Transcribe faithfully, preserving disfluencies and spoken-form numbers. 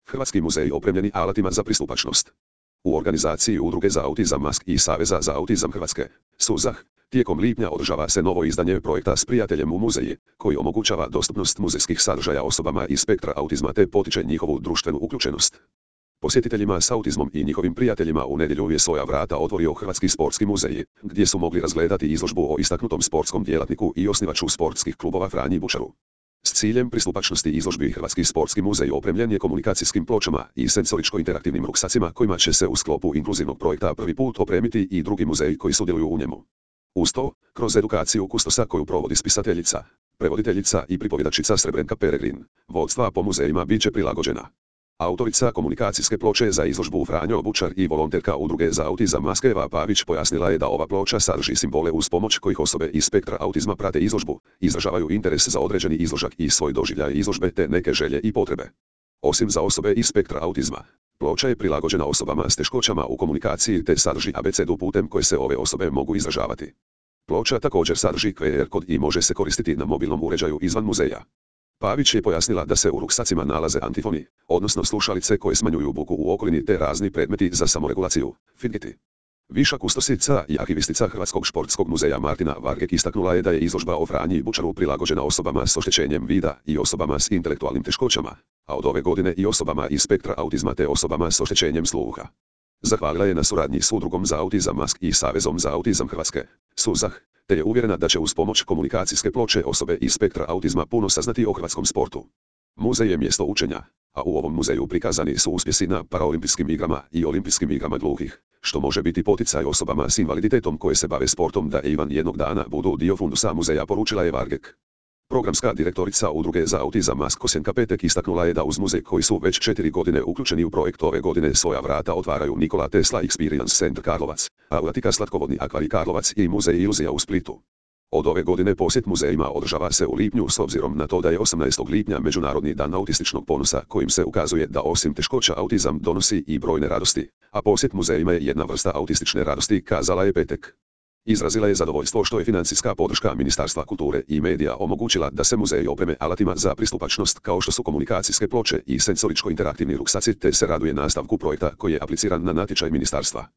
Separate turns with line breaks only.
Hrvatski muzeji opremljeni alatima za pristupačnost. U organizaciji Udruge za autizam Mask i Saveza za autizam Hrvatske, SUZAH, tijekom lipnja održava se novo izdanje projekta S prijateljem u muzeji, koji omogućava dostupnost muzejskih sadržaja osobama iz spektra autizma te potiče njihovu društvenu uključenost. Posjetiteljima s autizmom i njihovim prijateljima u nedjelju je svoja vrata otvorio Hrvatski sportski muzej, gdje su mogli razgledati izložbu o istaknutom sportskom djelatniku i osnivaču sportskih klubova Franji Bučaru. S ciljem pristupačnosti izložbi Hrvatski sportski muzej opremljen je komunikacijskim pločama i senzoričko-interaktivnim ruksacima kojima će se u sklopu inkluzivnog projekta prvi put opremiti i drugi muzeji koji sudjeluju u njemu. Uz to, kroz edukaciju kustosa koju provodi spisateljica, prevoditeljica i pripovjedačica Srebrenka Peregrin, vodstva po muzejima bit će prilagođena. Autorica komunikacijske ploče za izložbu Franjo Bučar i volonterka Udruge za autizam Mask Eva Pavić pojasnila je da ova ploča sadrži simbole uz pomoć kojih osobe iz spektra autizma prate izložbu, izražavaju interes za određeni izložak i svoj doživljaj izložbe te neke želje i potrebe. Osim za osobe iz spektra autizma, ploča je prilagođena osobama s teškoćama u komunikaciji te sadrži abecedu putem koje se ove osobe mogu izražavati. Ploča također sadrži Q R kod i može se koristiti na mobilnom uređaju izvan muzeja. Pavić je pojasnila da se u ruksacima nalaze antifoni, odnosno slušalice koje smanjuju buku u okolini te razni predmeti za samoregulaciju, fidgeti. Viša kustosica i arhivistica Hrvatskog športskog muzeja Martina Vargek istaknula je da je izložba o Franji Bučaru prilagođena osobama s oštećenjem vida i osobama s intelektualnim teškoćama, a od ove godine i osobama iz spektra autizma te osobama s oštećenjem sluha. Zahvalila je na suradnji s Udrugom za autizam Mask i Savezom za autizam Hrvatske, SUZAH, te je uvjerena da će uz pomoć komunikacijske ploče osobe iz spektra autizma puno saznati o hrvatskom sportu. Muzej je mjesto učenja, a u ovom muzeju prikazani su uspjesi na paraolimpijskim igrama i olimpijskim igrama gluhih, što može biti poticaj osobama s invaliditetom koje se bave sportom da Ivan jednog dana budu dio fundusa muzeja, poručila je Vargek. Programska direktorica Udruge za autizam Mask Kosjenka Petek istaknula je da uz muzej koji su već četiri godine uključeni u projekt ove godine svoja vrata otvaraju Nikola Tesla Experience Center Karlovac, Autika Slatkovodni akvarij Karlovac i Muzej iluzija u Splitu. Od ove godine posjet muzejima održava se u lipnju s obzirom na to da je osamnaestog lipnja Međunarodni dan autističnog ponosa kojim se ukazuje da osim teškoća autizam donosi i brojne radosti, a posjet muzejima je jedna vrsta autistične radosti, kazala je Petek. Izrazila je zadovoljstvo što je financijska podrška Ministarstva kulture i medija omogućila da se muzeji opreme alatima za pristupačnost kao što su komunikacijske ploče i senzoričko-interaktivni ruksaci te se raduje nastavku projekta koji je apliciran na natječaj ministarstva.